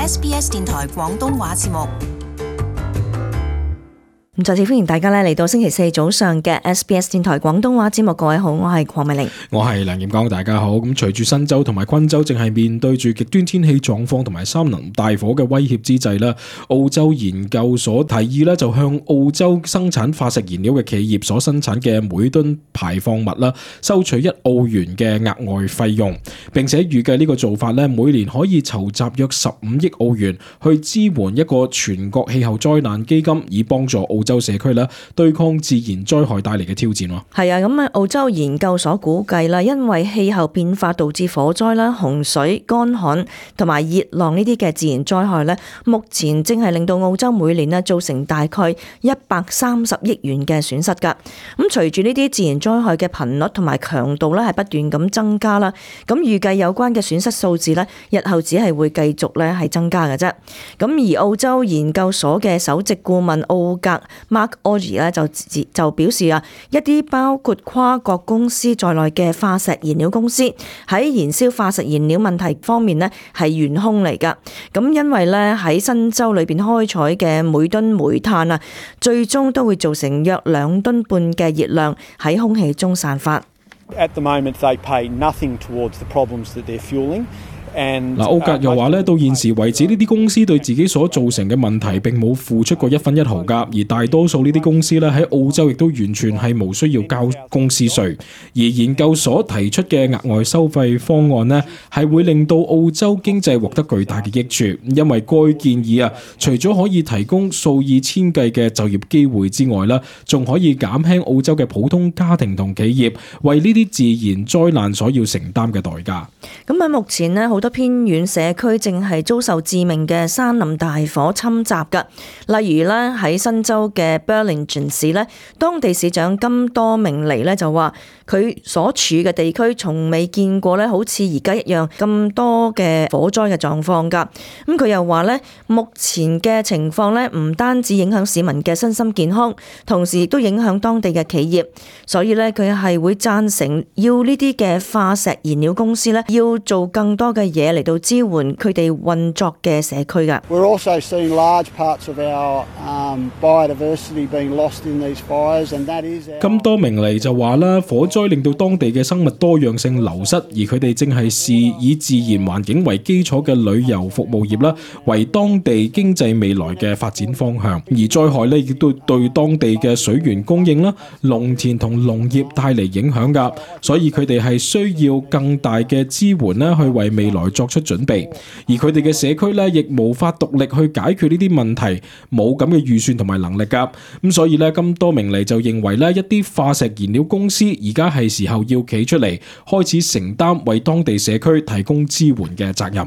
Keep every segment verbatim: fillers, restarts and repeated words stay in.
S B S 電台廣東話節目。咁再次歡迎大家咧嚟到星期四早上嘅 S B S 電台廣東話節目，各位好，我係鄺美玲，我係梁炎光，大家好。咁隨住新州同埋昆州正係面對住極端天氣狀況同埋山林大火嘅威脅之際啦，澳洲研究所提議咧就向澳洲生產化石燃料嘅企業所生產嘅每噸排放物啦，收取一澳元嘅額外費用，並且預計呢個做法咧每年可以籌集約十五億澳元去支援一個全國氣候災難基金，以幫助澳洲社區咧對抗自然災害帶嚟嘅挑戰。係啊，咁啊，澳洲研究所估計啦，因為氣候變化導致火災啦、洪水、乾旱同埋熱浪呢啲嘅自然災害咧，目前正係令到澳洲每年咧造成大概一百三十億元嘅損失㗎。咁隨住呢啲自然災害嘅頻率同埋強度咧係不斷咁增加啦，咁預計有關嘅損失數字咧，日後只係會繼續咧係增加嘅啫。咁而澳洲研究所嘅首席顧問奧格 Mark Orji 咧就就表示啊，一啲包括跨國公司在內嘅化石燃料公司喺燃燒化石燃料問題方面呢係元兇嚟㗎。咁因為咧喺新州裏邊開採嘅每噸煤炭啊，最終都會造成約兩噸半嘅熱量喺空氣中散發。At the moment, they pay nothing towards the problems that they're fueling.嗱，奧格又話咧，到現時為止，呢啲公司對自己所造成嘅問題並冇付出過一分一毫㗎，而大多數呢啲公司咧喺澳洲亦都完全係無需要交公司稅。而研究所提出嘅額外收費方案呢，係會令到澳洲經濟獲得巨大嘅益處，因為該建議啊，除咗可以提供數以千計嘅就業機會之外啦，仲可以減輕澳洲嘅普通家庭同企業為呢啲自然災難所要承擔嘅代價。咁喺目前呢，好多偏遠社區正係遭受致命嘅山林大火侵襲㗎。例如咧喺新州嘅 Burlington 市咧，當地市長金多明尼咧就話，佢所處嘅地區從未見過咧好似而家一樣咁多嘅火災嘅狀況㗎。咁佢又話咧，目前嘅情況咧唔單止影響市民嘅身心健康，同時亦都影響當地嘅企業。所以咧佢係會贊成要呢啲嘅化石燃料公司咧要做更多嘅嘢嚟到支援佢哋運作嘅社區㗎。We're also seeing large parts of our um, biodiversity being lost in these fires, and that is our... 金多明尼就話啦，火災令到當地嘅生物多樣性流失，而佢哋正係視以自然環境為基礎嘅旅遊服務業啦，為當地經濟未來嘅發展方向。而災害呢亦都對當地嘅水源供應啦、農田同農業帶嚟影響㗎，所以佢哋係需要更大嘅支援啦，去為未來作出準備。而佢哋嘅社區咧，亦無法獨力去解決呢啲問題，冇咁嘅預算同埋能力㗎。咁所以咧，金多明尼就認為咧，一啲化石燃料公司而家係時候要企出嚟，開始承擔為當地社區提供支援嘅責任。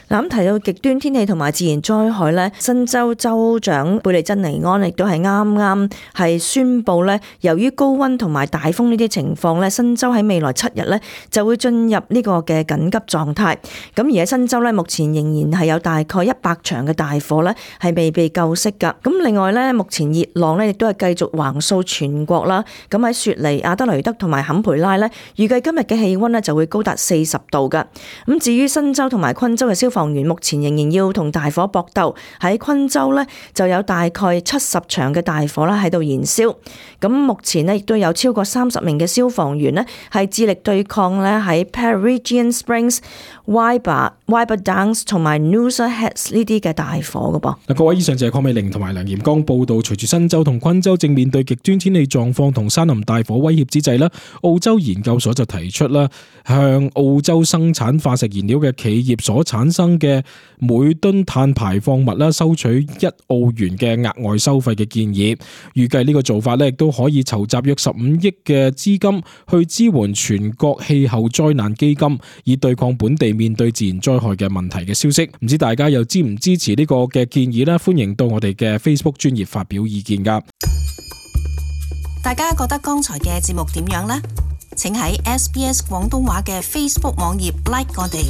嗱，咁提到極端天氣同埋自然災害咧，新州州長貝利珍尼安亦都係啱啱係宣布咧，由於高溫同埋大風呢啲情況咧，新州喺未來七日咧就會進入呢個嘅緊急狀態。咁而喺新州咧，目前仍然係有大概一百場嘅大火咧係未被救熄㗎。咁另外咧，目前熱浪咧亦都係繼續橫掃全國啦。咁喺雪梨、阿德雷德同埋坎培拉咧，預計今日嘅氣溫咧就會高達四十度㗎。咁至於新州同埋昆州嘅消防員目前仍然要同大火搏鬥，喺昆州呢就有大概七十場嘅大火啦喺度燃燒。咁目前呢亦都有超過三十名嘅消防員呢係致力對抗呢喺 Peregian Springs、Wyber、Wyber Downs 同埋 Noosa Heads 呢啲嘅大火㗎噃。嗱，各位，以上就係鄺美玲同埋梁炎光報道。隨住新州同昆州正面對極端天氣狀況同山林大火威脅之際啦，澳洲研究所就提出啦，向澳洲生產化石燃料嘅企業所產生嘅每噸碳排放物啦，收取一澳元嘅額外收費嘅建議。預計呢個做法咧，亦都可以籌集約十五億嘅資金去支援全國氣候災難基金，以對抗本地面對自然災害嘅問題嘅消息。唔知大家又支唔支持呢個嘅建議呢？歡迎到我哋嘅 Facebook 專頁發表意見噶。大家覺得剛才嘅節目點樣呢？請喺 S B S 廣東話嘅 Facebook 網頁 like 我哋。